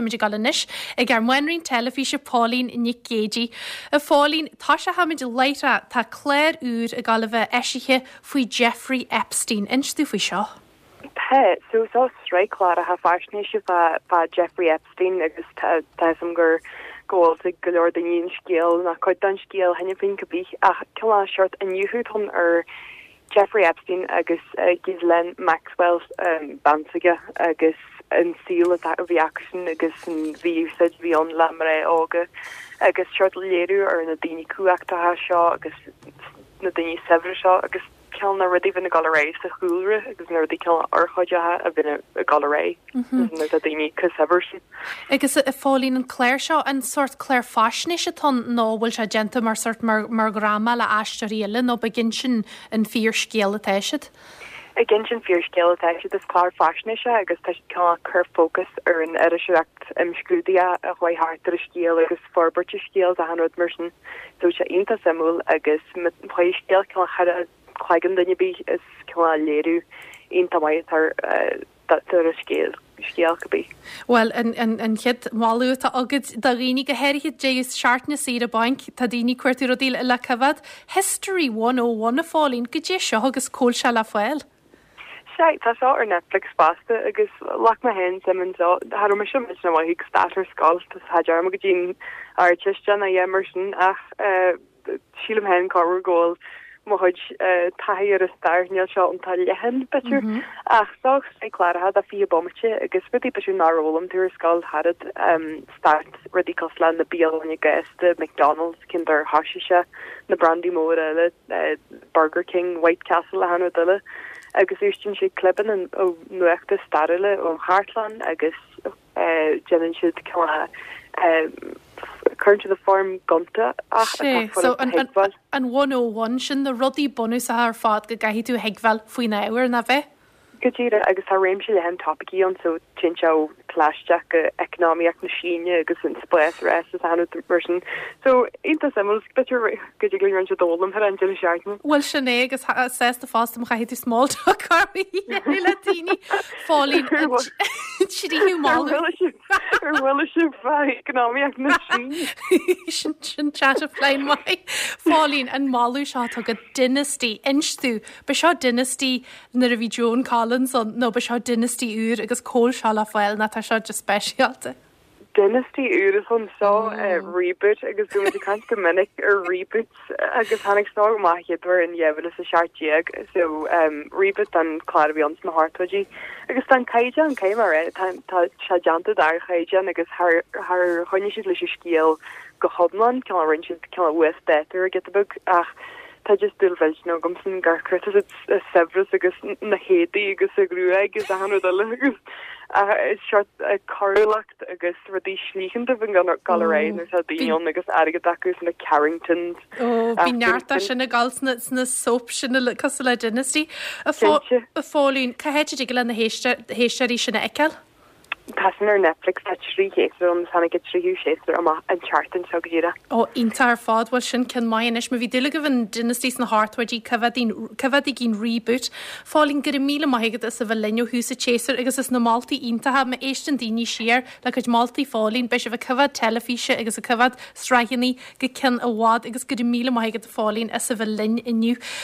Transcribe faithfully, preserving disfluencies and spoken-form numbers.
Táimid ag dul anois ag ár máinrín teilifíse Póilín Nic Géidigh. A Phóilín, tosóchaimid láithreach tá clár úr ag dul a bheith eisithe faoi Jeffrey Epstein. Inis dúinn faoi seo. Tá so so sraith cláracha faisnéise fá fá Jeffrey Epstein agus tá tá gur go bhfuil go leor daoine an scéal na cuid den scéal cheana féin cibé ach cineál seort iniúchadh ar Jeffrey Epstein agus uh, Ghislaine Maxwell um, bean s'aige agus an saol a bhí acusan agus an mhí-úsáid a bhí ann le mná óga agus seort léiriú ar na daoine cumhachtacha seo agus na daoine saibhre seo agus cineál na rudaí bhíonn ag dul ar aghaidh sa chúlra agus na rudaí cineál urchóideacha a bhíonn ag dul ar aghaidh na daoine chomh saibhir sin. Agus a Phóilín an clár seo an sórt clár faisnéise atá nó bhfuil sé déanta mar sórt mar, mar dhráma le aisteoirí eile nó ag insint an fíorscéal atá siad? Ag insint fíorscéal atá siad is clár faisnéise agus tá cineál cur fócas ar an iriseoireacht imscrúdaithe a chuaigh thart ar an scéal agus forbairt an scéil a rud mar sin so sé iontach suimiúil agus chuir scéal cineál thar cloigeann duine bí is cineál léiriú iontach maith ar ar an scéal scéal cibé. Well an, an, an chéad mholadh atá agat do dhaoine go háirithe deireadh seachtaine saoire bainc tá daoine ag cuartú rudaí le coimhéad History one oh one a Phóilín goidé seo agus cá bhfuil sé le fáil. Sé tá seo ar Netflix fosta agus ghlac mé féin suim anseo thar me sem na mhaith stair ar scoil tá dearmad go dtí Ardteist a dhéanamh mar sin ach sílim féin go bhfuil mo chuid taithí ar an stair níl seo an leathan b'fhéidir mm -hmm. ach seo sé cláracha de fiche bomaite agus rudaí b'fhéidir nár fhoghlaim tú ar scoil thar um, start rudaí cosúil le na bialanna gasta McDonald's cén dóigh ar thosaigh sé na brandaí móra eile uh, Burger King White Castle a rud eile agus úsáideann sé clibeanna ó nuachta stairiúla ón chartlann agus uh, déanann siad uh, cuireann siad i bhfoirm gonta ach so an, an, an one oh one sin na rudaí bunúsacha ar fad go gcaithfidh tú thuigbheáil faoin ábhar na bheith? Go díreach agus tá réimse leathan topaicí ann so téann sé ó phlaisteach go eacnamaíocht na Síne agus an space race is ann mar sin. So iontach suimiúil b'fhéidir go dtig linn roinnt a d'fhoghlaim thar an deireadh seachtaine. Well sin é agus sásta fosta má chaithfidh tú small talk le daoine Phóilín tríú moladh. Ar bhfuil sibh eacnamaíocht na Síne. Sin sin chat of flying maith. Phóilín an moladh seo atá agat Dynasty inis dúinn ba seo Dynasty nuair a bhí Joan Collins an nó ba seo Dynasty úr agus cá bhfuil seo le fáil ná tá seo just speisialta. Dynasty úr is an seo reboot agus go ag caint go minic ar reboot agus tháinig seo amach idir in dhá mhíle is a seacht déag so um, reboot an clár a bhí ann sna hochtóidí agus tá caighdeán cé mar é tá sé déanta ar chaighdeán agus thar choinnigh siad leis an scéal go hiomlán cineál rinne siad cineál uasdátú giota beag ach tá just dúil mhillteanach agamsa gur chuir saibhreas agus na héadaí agus a gruaig agus a rud eile agus seort coiriúlacht agus rudaí slíchanta bhíonn ag dul ar aghaidh nuair tá daoine agus airgead acu na Carringtons. Bhí neart sin ag dul sna soap sin cosúil le Dynasty. A Phóilín cá háit a dtig le na héisteoirí sin a fheiceáil? Tá sin ar Netflix tá trí shéasúr ann tháinig an tríú séasúr amach an tseachtain seo go díreach. Ó iontach ar fad bhfuil sin cin maith anois má bhí dúil agaibh in Dynasty sna hochtóidí coimhéadaigí reboot. Phóilín go raibh míle maith agat as a bheith linn ó thús an tséasúir agus as na moltaí iontacha má éisteann daoine siar le cuid moltaí Phóilín beidh sibh ag coimhéad teilifíse agus ag coimhéad sraitheanna go ceann i bhfad agus go raibh míle maith agat Phóilín as a bheith linn inniu.